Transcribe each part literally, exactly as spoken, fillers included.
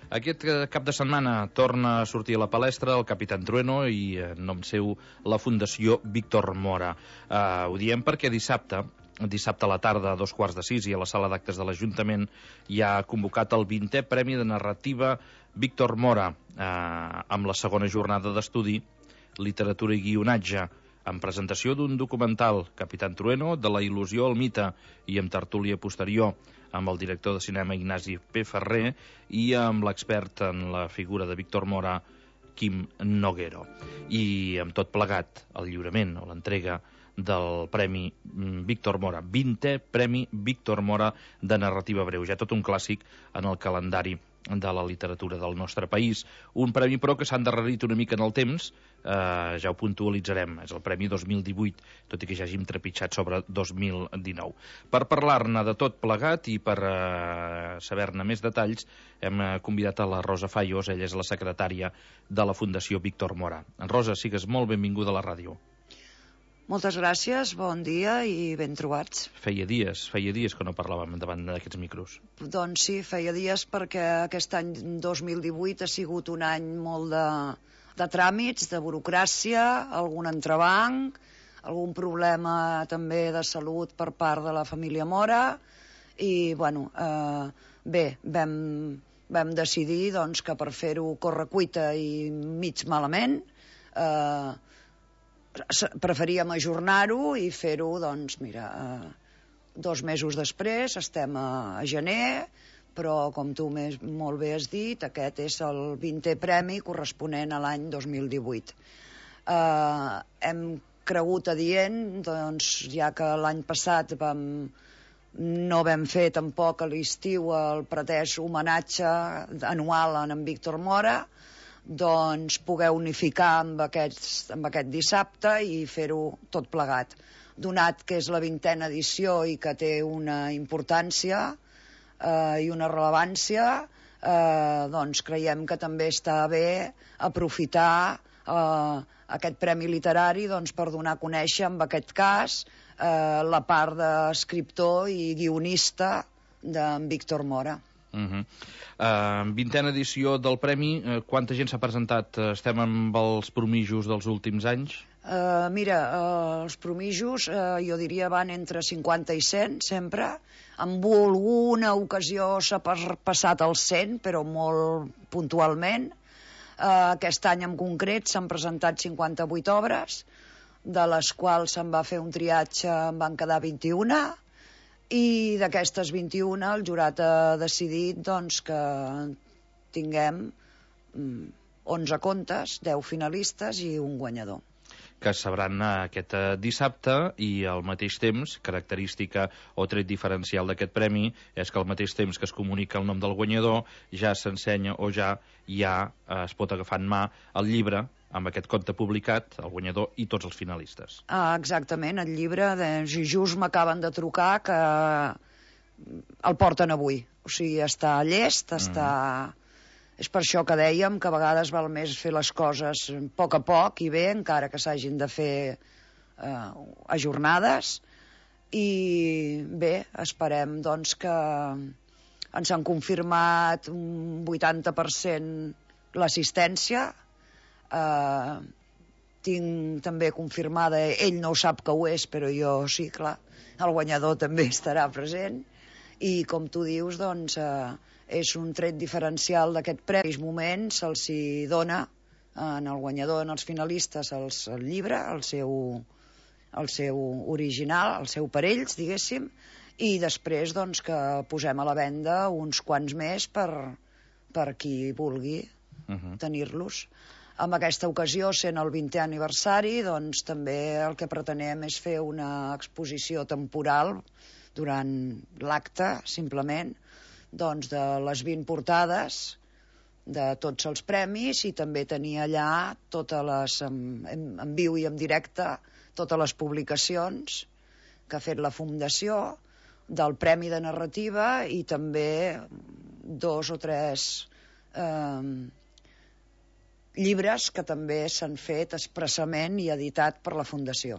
Aquest cap de setmana torna a sortir a la palestra el Capitán Trueno i, en nom seu, la Fundació Víctor Mora. Uh, ho diem perquè dissabte, dissabte a la tarda, a dos quarts de sis, i a la sala d'actes de l'Ajuntament hi ha convocat el vintè Premi de Narrativa Víctor Mora, uh, amb la segona jornada d'estudi, literatura i guionatge, amb presentació d'un documental, Capitán Trueno, de la il·lusió al mite, i amb tertúlia posterior, amb el director de cinema Ignasi P. Ferrer i amb l'expert en la figura de Víctor Mora, Quim Noguero. I amb tot plegat, el lliurament o l'entrega del Premi Víctor Mora, vintè Premi Víctor Mora de Narrativa Breu, ja tot un clàssic en el calendari de la literatura del nostre país. Un premi, però, que s'ha endarrerit una mica en el temps, eh, ja ho puntualitzarem, és el Premi dos mil divuit, tot i que ja hàgim trepitjat sobre dos mil dinou. Per parlar-ne de tot plegat i per eh, saber-ne més detalls, hem convidat a la Rosa Fallos, ella és la secretària de la Fundació Víctor Mora. Rosa, sigues molt benvinguda a la ràdio. Moltes gràcies, bon dia i ben trobats. Feia dies, feia dies que no parlàvem davant d'aquests micros. Doncs sí, feia dies perquè aquest any dos mil divuit ha sigut un any molt de, de tràmits, de burocràcia, algun entrebanc, algun problema també de salut per part de la família Mora i, bueno, eh, bé, vam, vam decidir doncs, que per fer-ho correcuita i mig malament, eh, preferíem ajornar-ho i fer-ho, doncs, mira, eh, dos mesos després, estem a, a gener, però, com tu més, molt bé has dit, aquest és el vintè premi corresponent a l'any dos mil divuit. Eh, hem cregut adient, doncs, ja que l'any passat vam, no vam fer tampoc a l'estiu el pretès homenatge anual a en Víctor Mora, doncs poder unificar amb, aquests, amb aquest dissabte i fer-ho tot plegat. Donat que és la vintena edició i que té una importància eh, i una rellevància, eh, doncs creiem que també està bé aprofitar eh, aquest premi literari doncs, per donar a conèixer, en aquest cas, eh, la part d'escriptor i guionista d'en Víctor Mora. Uh -huh. uh, vintena edició del Premi, uh, quanta gent s'ha presentat? Uh, estem amb els promijos dels últims anys? Uh, mira, uh, els promijos uh, jo diria van entre cinquanta i cent sempre, amb alguna ocasió s'ha passat als cent, però molt puntualment. Uh, aquest any en concret s'han presentat cinquanta-vuit obres, de les quals se'n va fer un triatge, en van quedar vint-i-una, i d'aquestes vint-i-una el jurat ha decidit doncs, que tinguem onze contes, deu finalistes i un guanyador. Que es sabran aquest dissabte, i al mateix temps, característica o tret diferencial d'aquest premi, és que al mateix temps que es comunica el nom del guanyador, ja s'ensenya o ja, ja es pot agafar en mà el llibre amb aquest conte publicat, el guanyador i tots els finalistes. Ah, exactament, el llibre, de, just m'acaben de trucar que el porten avui. O sigui, està llest, està... Mm. És per això que dèiem que a vegades val més fer les coses a poc a poc i bé, encara que s'hagin de fer eh, ajornades. I bé, esperem doncs que ens han confirmat un vuitanta per cent l'assistència. Uh, tinc també confirmada, ell no ho sap que ho és, però jo sí, clar, el guanyador també estarà present, i com tu dius, doncs uh, és un tret diferencial d'aquest premi. En aquells moments se'ls hi dona en el guanyador, en els finalistes, els, el llibre, el seu, el seu original, el seu per ells, diguéssim, i després doncs que posem a la venda uns quants més per, per qui vulgui uh-huh. tenir-los. En aquesta ocasió, sent el vintè aniversari, doncs també el que pretenem és fer una exposició temporal durant l'acte, simplement, doncs de les vint portades de tots els premis, i també tenir allà totes les, en, en viu i en directe, totes les publicacions que ha fet la Fundació del Premi de Narrativa, i també dos o tres eh, llibres que també s'han fet expressament i editat per la Fundació.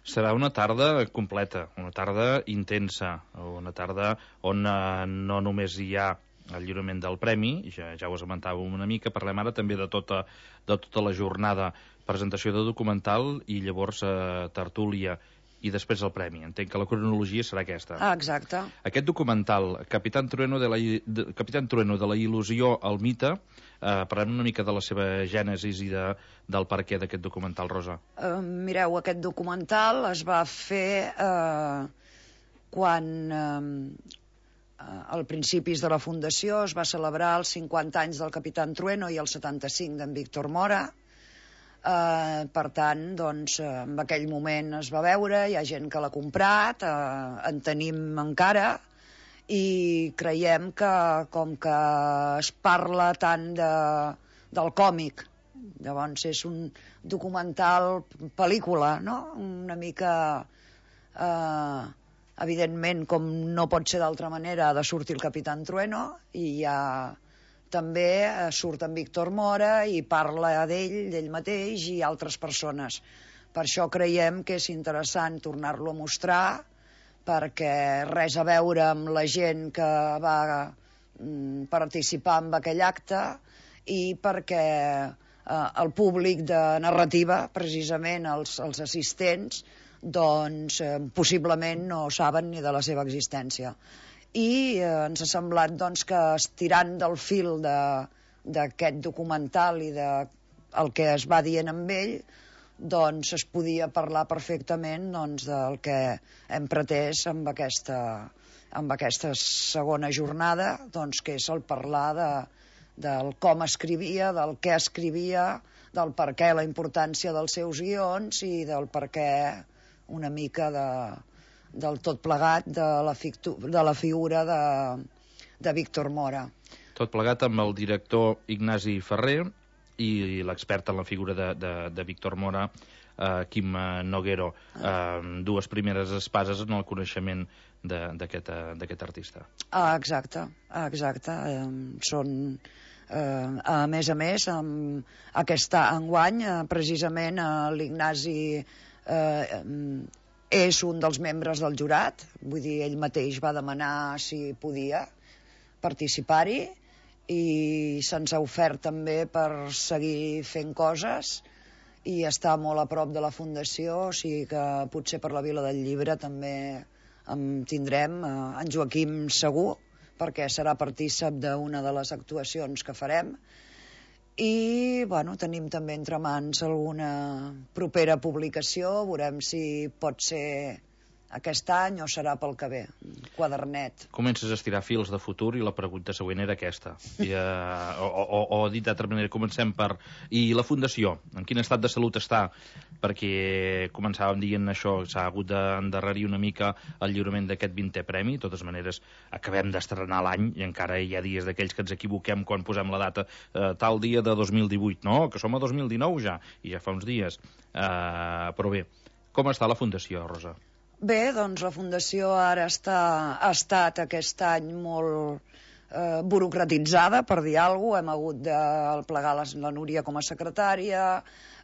Serà una tarda completa, una tarda intensa, una tarda on eh, no només hi ha el lliurament del premi, ja, ja ho esmentàvem una mica, parlem ara també de tota, de tota la jornada, presentació de documental i llavors eh, tertúlia i després el premi. Entenc que la cronologia serà aquesta. Ah, exacte. Aquest documental, Capitán Trueno de la, de, Capitán Trueno de la il·lusió al mite, eh, parlem una mica de la seva gènesis i de, del perquè d'aquest documental, Rosa. Uh, mireu, aquest documental es va fer uh, quan, uh, al principis de la fundació, es va celebrar els cinquanta anys del Capitán Trueno i els setanta-cinc d'en Víctor Mora. Uh, per tant, doncs, uh, en aquell moment es va veure, hi ha gent que l'ha comprat, uh, en tenim encara, i creiem que, com que es parla tant de, del còmic, llavors és un documental pel·lícula, no? Una mica, uh, evidentment, com no pot ser d'altra manera, ha de sortir el Capitán Trueno, i hi ha... També surt en Víctor Mora i parla d'ell, d'ell mateix i altres persones. Per això creiem que és interessant tornar-lo a mostrar, perquè res a veure amb la gent que va participar en aquell acte i perquè eh, el públic de narrativa, precisament els, els assistents, doncs eh, possiblement no saben ni de la seva existència. I eh, ens ha semblat doncs, que estirant del fil d'aquest documental i de el que es va dient amb ell, doncs es podia parlar perfectament doncs, del que hem pretès amb aquesta, amb aquesta segona jornada, doncs, que és el parlar de, del com escrivia, del què escrivia, del per què la importància dels seus guions i del per què una mica de... del tot plegat de la, fictu, de la figura de, de Víctor Mora. Tot plegat amb el director Ignasi Ferrer i l'expert en la figura de, de, de Víctor Mora, eh, Quim Noguero, eh, dues primeres espases en el coneixement d'aquest artista. Ah, exacte, exacte. Eh, són, eh, a més a més, amb aquest enguany, eh, precisament eh, l'Ignasi eh, és un dels membres del jurat, vull dir, ell mateix va demanar si podia participar-hi i se'ns ha ofert també per seguir fent coses i està molt a prop de la fundació, o sigui que potser per la Vila del Llibre també en tindrem eh, en Joaquim segur, perquè serà partícip d'una de les actuacions que farem. I bueno, tenim també entre mans alguna propera publicació, veurem si pot ser aquest any o serà pel que ve, quadernet. Comences a estirar fils de futur i la pregunta següent era aquesta. I, uh, o, o, o dit d'altra manera, comencem per... I la Fundació, en quin estat de salut està? Perquè començàvem dient això, s'ha hagut d'endarrerir una mica el lliurament d'aquest vintè premi. De totes maneres, acabem d'estrenar l'any i encara hi ha dies d'aquells que ens equivoquem quan posem la data uh, tal dia de dos mil divuit. No, que som a dos mil dinou ja, i ja fa uns dies. Uh, però bé, com està la Fundació, Rosa? Bé, doncs la Fundació ara està, ha estat aquest any molt eh, burocratitzada, per dir alguna cosa. Hem hagut de plegar la, la Núria com a secretària,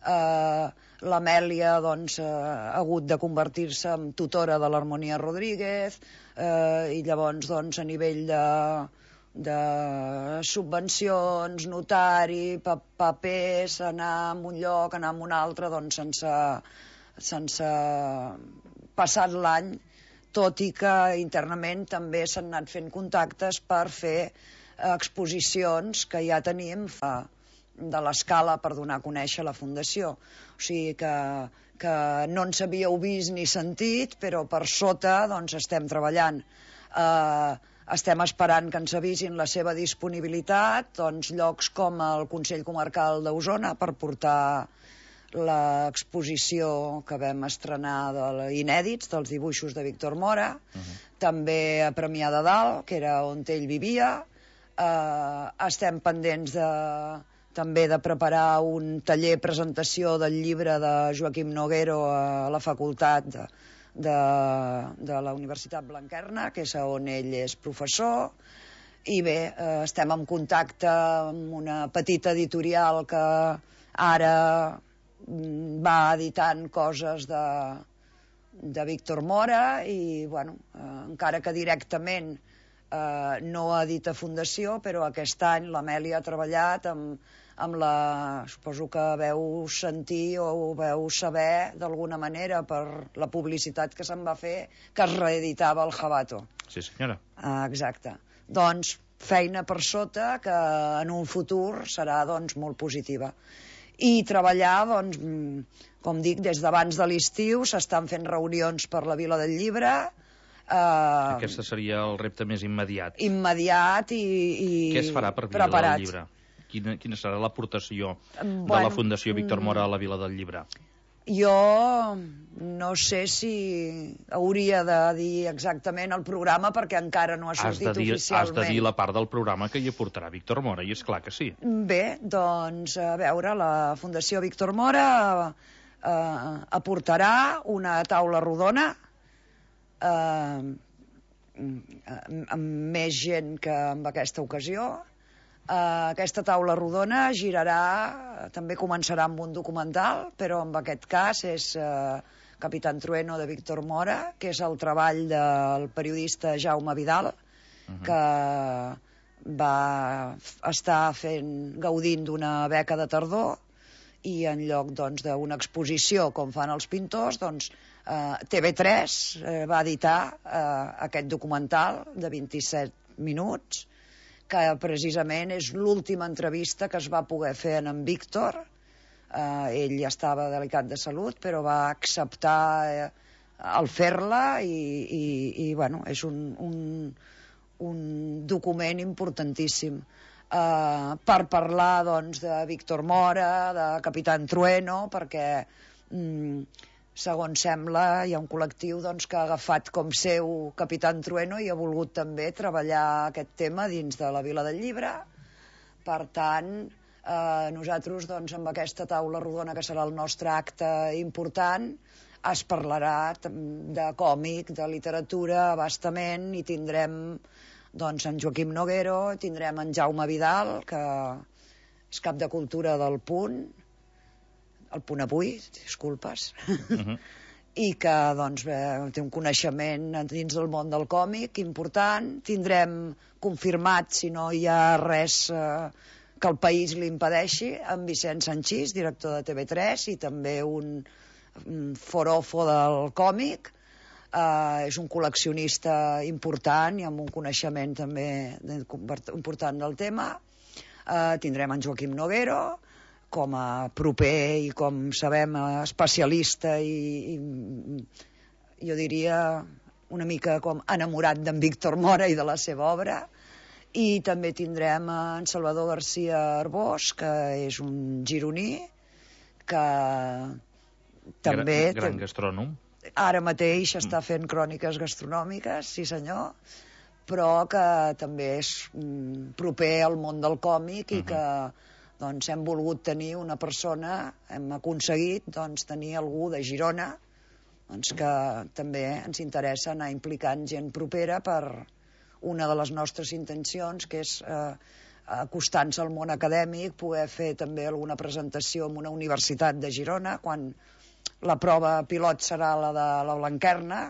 eh, l'Amèlia doncs, eh, ha hagut de convertir-se en tutora de l'Harmonia Rodríguez, eh, i llavors doncs, a nivell de, de subvencions, notari, pa papers, anar a un lloc, anar a un altre, doncs sense... sense passat l'any, tot i que internament també s'han anat fent contactes per fer exposicions que ja tenim de l'escala per donar a conèixer la Fundació. O sigui que, que no ens havíeu vist ni sentit, però per sota doncs, estem treballant. Eh, estem esperant que ens avisin la seva disponibilitat, doncs, llocs com el Consell Comarcal d'Osona per portar l'exposició que vam estrenar de inèdits, dels dibuixos de Víctor Mora, uh-huh. També a Premià de Dalt, que era on ell vivia. Eh, estem pendents de, també de preparar un taller presentació del llibre de Joaquim Noguero a la facultat de, de, de la Universitat Blanquerna, que és on ell és professor. I bé, eh, estem en contacte amb una petita editorial que ara va editant coses de, de Víctor Mora i, bueno, eh, encara que directament eh, no edita Fundació, però aquest any l'Amèlia ha treballat amb, amb la... suposo que veu sentir o veu saber d'alguna manera per la publicitat que se'n va fer, que es reeditava el Jabato. Sí, senyora. Ah, exacte. Doncs feina per sota que en un futur serà doncs, molt positiva. I treballar, doncs, com dic, des d'abans de l'estiu s'estan fent reunions per la Vila del Llibre. Eh, Aquest seria el repte més immediat. Immediat i, i Què es farà per Vila preparat. del Llibre? Quina, quina serà l'aportació Bueno, de la Fundació Víctor Mora a la Vila del Llibre? Jo no sé si hauria de dir exactament el programa perquè encara no ha Has sortit de, dir, has oficialment. de dir la part del programa que hi aportarà Víctor Mora, i és clar que sí. Bé, doncs, a veure, la Fundació Víctor Mora eh, aportarà una taula rodona eh, amb més gent que en aquesta ocasió. Uh, aquesta taula rodona girarà, també començarà amb un documental, però en aquest cas és uh, Capitán Trueno de Víctor Mora, que és el treball del periodista Jaume Vidal, uh-huh. que va estar fent, gaudint d'una beca de tardor, i en lloc doncs, d'una exposició com fan els pintors, doncs, uh, T V tres uh, va editar uh, aquest documental de vint-i-set minuts, que precisament és l'última entrevista que es va poder fer en en Víctor. Eh, ell estava delicat de salut, però va acceptar eh, el fer-la i, i, i bueno, és un, un, un document importantíssim. Eh, per parlar doncs, de Víctor Mora, de Capitán Trueno, perquè... Mm, segons sembla, hi ha un col·lectiu doncs, que ha agafat com seu Capitán Trueno i ha volgut també treballar aquest tema dins de la Vila del Llibre. Per tant, eh, nosaltres doncs, amb aquesta taula rodona, que serà el nostre acte important, es parlarà de còmic, de literatura, abastament, i tindrem doncs, en Joaquim Noguero, tindrem en Jaume Vidal, que és cap de cultura del Punt, el Punt Avui, disculpes, uh-huh. i que doncs, bé, té un coneixement dins del món del còmic important. Tindrem confirmat, si no hi ha res eh, que el país li impedeixi, en Vicent Sanchís, director de T V tres, i també un, un forofo del còmic. Eh, és un col·leccionista important i amb un coneixement també important del tema. Eh, tindrem en Joaquim Noguero, com a proper i, com sabem, especialista i, i jo diria una mica com enamorat d'en Víctor Mora i de la seva obra. I també tindrem en Salvador García Arbós, que és un gironí, que també... Gran, gran gastrònom. Ara mateix està fent cròniques gastronòmiques, sí senyor, però que també és proper al món del còmic i uh-huh. que... doncs hem volgut tenir una persona, hem aconseguit doncs, tenir algú de Girona doncs, que també ens interessa anar implicant gent propera per una de les nostres intencions, que és eh, acostant-se al món acadèmic, poder fer també alguna presentació en una universitat de Girona, quan la prova pilot serà la de la Blanquerna,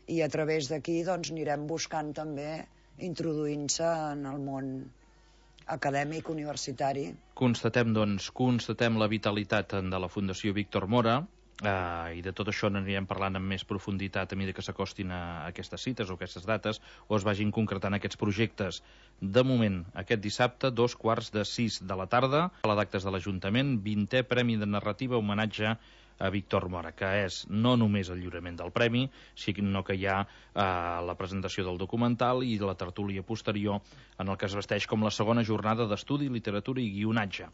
i a través d'aquí doncs, anirem buscant també introduint-se en el món acadèmic, universitari. Constatem, doncs, constatem la vitalitat de la Fundació Víctor Mora, eh, i de tot això n'anirem parlant amb més profunditat a mesura que s'acostin a aquestes cites o aquestes dates, o es vagin concretant aquests projectes. De moment, aquest dissabte, dos quarts de sis de la tarda, a la d'actes de l'Ajuntament, vintè Premi de Narrativa, homenatge a Víctor Mora, que és no només el lliurament del premi, sinó que hi ha eh, la presentació del documental i la tertúlia posterior, en el que es vesteix com la segona jornada d'estudi, literatura i guionatge.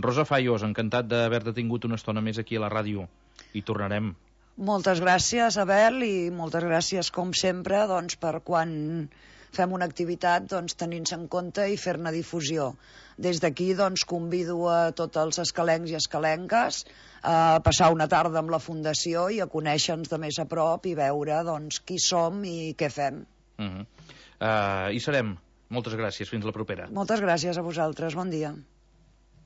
Rosa Fallos, encantat d'haver-te tingut una estona més aquí a la ràdio. I tornarem. Moltes gràcies, Abel, i moltes gràcies, com sempre, doncs, per quan fem una activitat, doncs, tenint-se en compte i fer-ne difusió. Des d'aquí, doncs, convido a tots els escalencs i escalenques a passar una tarda amb la Fundació i a conèixer-nos de més a prop i veure, doncs, qui som i què fem. Uh-huh. uh, Hi serem. Moltes gràcies. Fins la propera. Moltes gràcies a vosaltres. Bon dia.